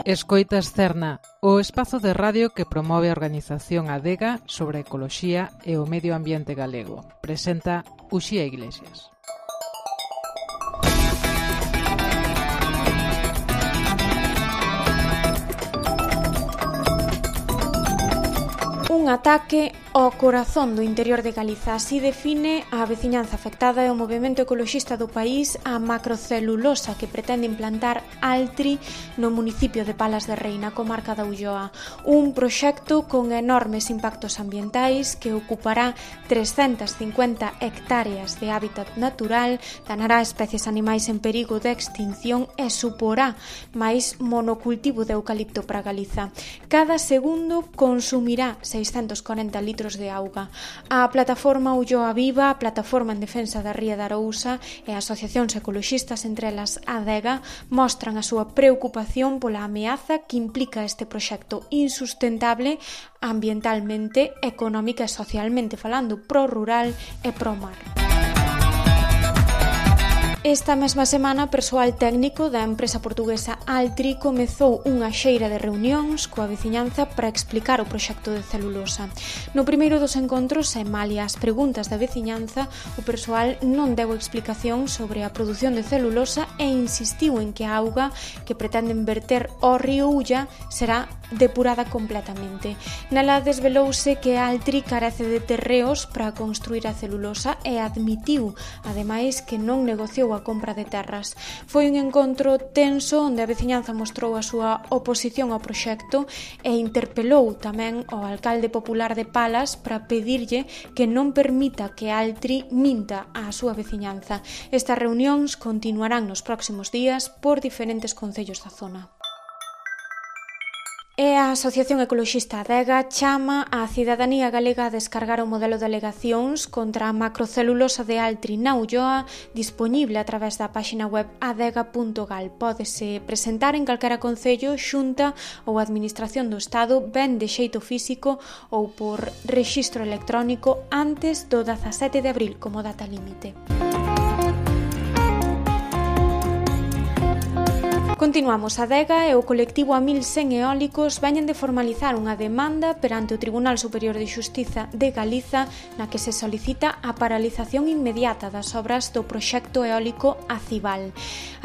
Escoitas Cerna, o espazo de radio que promove a organización Adega sobre a ecoloxía e o medio ambiente galego. Presenta Uxía Iglesias. Un ataque ao corazón do interior de Galiza. Así define a veciñanza afectada e o movemento ecoloxista do país a macrocelulosa que pretende implantar Altri no municipio de Palas de Rei, na comarca da Ulloa. Un proxecto con enormes impactos ambientais que ocupará 350 hectáreas de hábitat natural, danará especies animais en perigo de extinción e suporá máis monocultivo de eucalipto para Galiza. Cada segundo consumirá 640 litros de auga. A plataforma Ulloa Viva, a plataforma en defensa da ría da Arousa e asociacións ecoloxistas, entre elas Adega, mostran a súa preocupación pola ameaza que implica este proxecto insustentable ambientalmente, económica e socialmente falando, pro-rural e pro-mar. Esta mesma semana, persoal técnico da empresa portuguesa Altri comezou unha xeira de reunións coa veciñanza para explicar o proxecto de celulosa. No primeiro dos encontros, e malia as preguntas da veciñanza, o persoal non deu explicación sobre a produción de celulosa e insistiu en que a auga que pretenden verter ao río Ulla será depurada completamente. Nela desvelouse que Altri carece de terreos para construir a celulosa e admitiu, ademais, que non negociou a compra de terras. Foi un encontro tenso onde a veciñanza mostrou a súa oposición ao proxecto e interpelou tamén ao alcalde popular de Palas para pedirlle que non permita que Altri minta á súa veciñanza. Estas reunións continuarán nos próximos días por diferentes concellos da zona. E a Asociación Ecoloxista Adega chama a cidadanía galega a descargar o modelo de alegacións contra a macrocelulosa de Altri na Ulloa, dispoñible a través da páxina web adega.gal. Pódese presentar en calquera concello, xunta ou administración do Estado, ben de xeito físico ou por rexistro electrónico antes do 17 de abril como data límite. Continuamos. Adega e o colectivo A1100 Eólicos veñen de formalizar unha demanda perante o Tribunal Superior de Xustiza de Galiza na que se solicita a paralización inmediata das obras do proxecto eólico Acibal.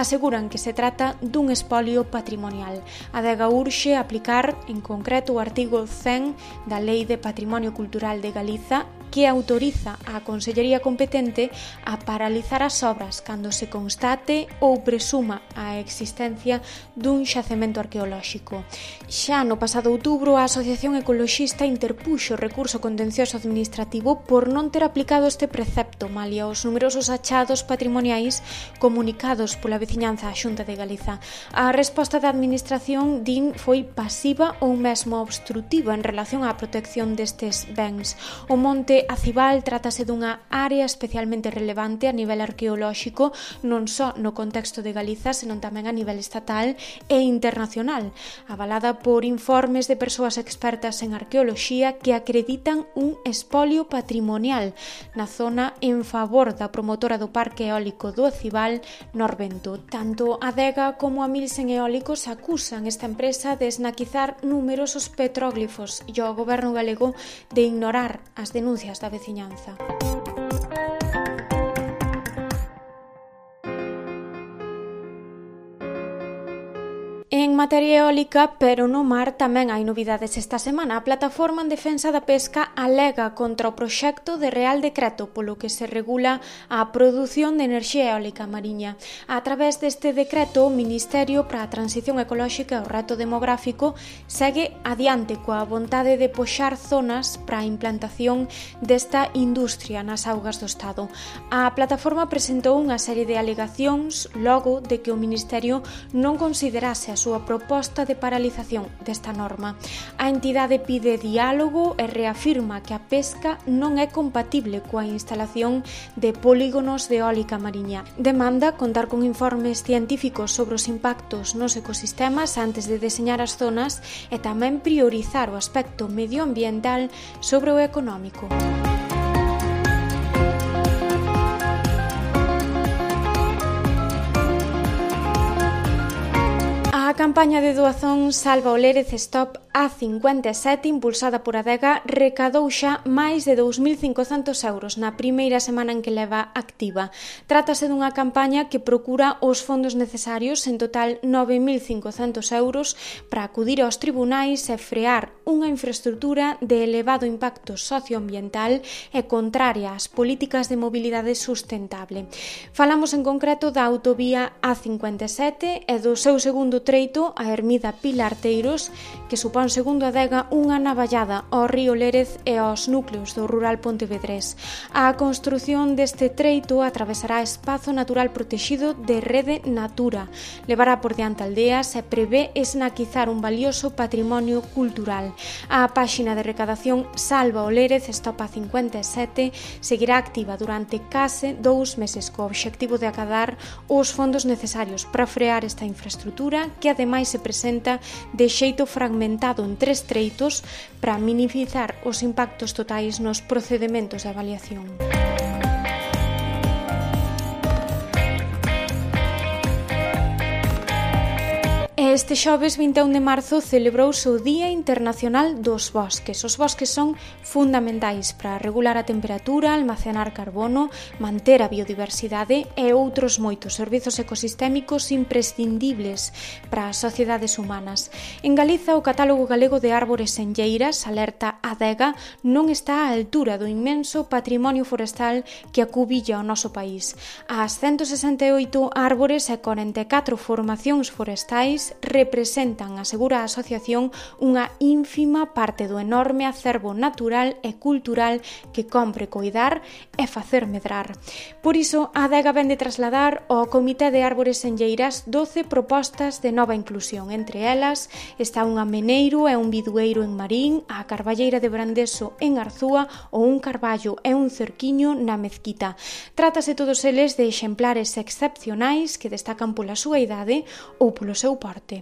Aseguran que se trata dun espolio patrimonial. Adega urxe aplicar, en concreto, o artigo 100 da Lei de Patrimonio Cultural de Galiza, que autoriza a Consellería competente a paralizar as obras cando se constate ou presuma a existencia dun xacemento arqueolóxico. Xa no pasado outubro, a Asociación Ecoloxista interpuxo recurso contencioso administrativo por non ter aplicado este precepto, malia os numerosos achados patrimoniais comunicados pola veciñanza á Xunta de Galiza. A resposta da administración, din, foi pasiva ou mesmo obstrutiva en relación á protección destes bens. O monte Acibal trátase dunha área especialmente relevante a nivel arqueolóxico, non só no contexto de Galiza, senón tamén a nivel estatal e internacional, avalada por informes de persoas expertas en arqueoloxía que acreditan un espolio patrimonial na zona en favor da promotora do Parque Eólico do Acibal, Norvento. Tanto Adega como a A1100 Eólicos acusan esta empresa de esnaquizar numerosos petróglifos e o goberno galego de ignorar as denuncias da veciñanza. En materia eólica, pero no mar, tamén hai novidades esta semana. A plataforma en defensa da pesca alega contra o proxecto de Real Decreto polo que se regula a produción de enerxía eólica mariña. A través deste decreto, o Ministerio para a Transición Ecolóxica e o Reto Demográfico segue adiante coa vontade de poxar zonas para a implantación desta industria nas augas do Estado. A plataforma presentou unha serie de alegacións logo de que o Ministerio non considerase a súa proposta de paralización desta norma. A entidade pide diálogo e reafirma que a pesca non é compatible coa instalación de polígonos de eólica mariña. Demanda contar con informes científicos sobre os impactos nos ecosistemas antes de deseñar as zonas e tamén priorizar o aspecto medioambiental sobre o económico. A campaña de doazón Salva o Lérez Stop A57, impulsada por Adega, recadou xa máis de 2.500 euros na primeira semana en que leva activa. Trátase dunha campaña que procura os fondos necesarios, en total 9.500 euros, para acudir aos tribunais e frear unha infraestructura de elevado impacto socioambiental e contraria ás políticas de mobilidade sustentable. Falamos en concreto da autovía A57 e do seu segundo treito, a Ermida Pilarteiros, que supón, segundo Adega, unha navallada ao río Lérez e aos núcleos do rural pontevedrés. A construción deste treito atravesará espazo natural protexido de Rede Natura, levará por diante aldeas e prevé esnaquizar un valioso patrimonio cultural. A páxina de recadación Salva o Lérez Stop A57 seguirá activa durante case 2 meses co obxectivo de acadar os fondos necesarios para frear esta infraestructura, que ademais se presenta de xeito fragmentado en 3 treitos para minimizar os impactos totais nos procedementos de avaliación. Este xoves 21 de marzo celebrouse o Día Internacional dos Bosques. Os bosques son fundamentais para regular a temperatura, almacenar carbono, manter a biodiversidade e outros moitos servizos ecosistémicos imprescindibles para as sociedades humanas. En Galiza, o Catálogo Galego de Árbores Senlleiras, alerta Adega, non está á altura do inmenso patrimonio forestal que acubilla o noso país. As 168 árbores e 44 formacións forestais representan, asegura a asociación, unha ínfima parte do enorme acervo natural e cultural que compre coidar e facer medrar. Por iso, a Adega vende trasladar ao Comité de Árbores Senlleiras 12 propostas de nova inclusión. Entre elas está un ameneiro e un bidueiro en Marín, a carballeira de Brandeso en Arzúa ou un carballo e un cerquiño na Mezquita. Trátase todos eles de exemplares excepcionais que destacan pola súa idade ou polo seu porte.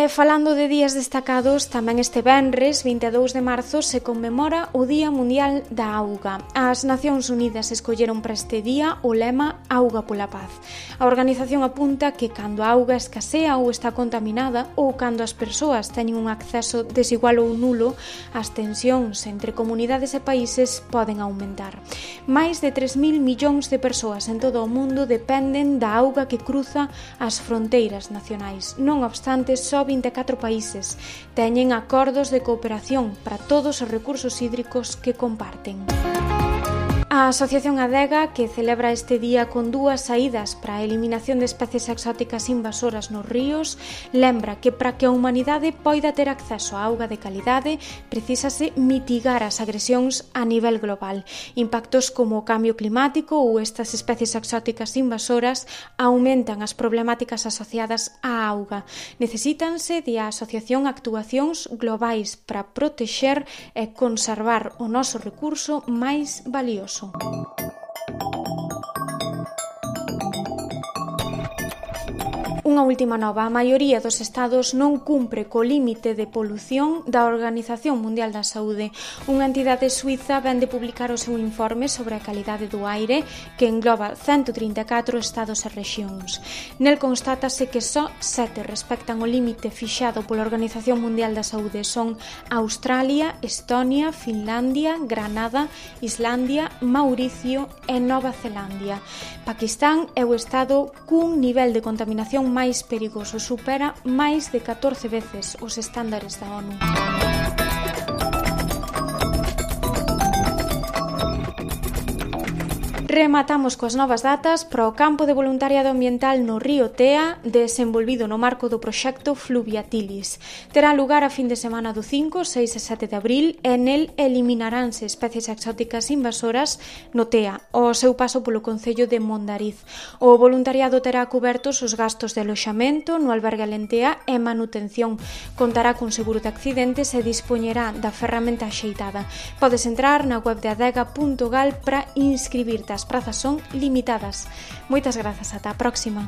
Falando de días destacados, tamén este venres, 22 de marzo, se conmemora o Día Mundial da Auga. As Nacións Unidas escolleron para este día o lema Auga pola Paz. A organización apunta que cando a auga escasea ou está contaminada, ou cando as persoas teñen un acceso desigual ou nulo, as tensións entre comunidades e países poden aumentar. Mais de 3.000 millóns de persoas en todo o mundo dependen da auga que cruza as fronteiras nacionais. Non obstante, só 24 países teñen acordos de cooperación para todos os recursos hídricos que comparten. A Asociación Adega, que celebra este día con 2 saídas para a eliminación de especies exóticas invasoras nos ríos, lembra que para que a humanidade poida ter acceso a auga de calidade, precisase mitigar as agresións a nivel global. Impactos como o cambio climático ou estas especies exóticas invasoras aumentan as problemáticas asociadas á auga. Necesítanse de a asociación actuacións globais para protexer e conservar o noso recurso máis valioso. Unha última nova, a maioría dos estados non cumpre co límite de polución da Organización Mundial da Saúde. Unha entidade suiza vén de publicar o seu informe sobre a calidade do aire, que engloba 134 estados e rexións. Nel constátase que só 7 respectan o límite fixado pola Organización Mundial da Saúde. Son Australia, Estonia, Finlandia, Granada, Islandia, Mauricio e Nova Zelandia. Paquistán é o estado cun nivel de contaminación máis perigoso, supera máis de 14 veces os estándares da ONU. Rematamos coas novas datas para o campo de voluntariado ambiental no río Tea, desenvolvido no marco do proxecto Fluviatilis. Terá lugar a fin de semana do 5, 6 e 7 de abril e nel eliminaránse especies exóticas invasoras no Tea, ao seu paso polo concello de Mondariz. O voluntariado terá cobertos os gastos de aloxamento no albergue Alentea e manutención. Contará con seguro de accidentes e dispoñerá da ferramenta axeitada. Podes entrar na web de adega.gal para inscribirte. As prazas son limitadas. Moitas grazas, ata a próxima.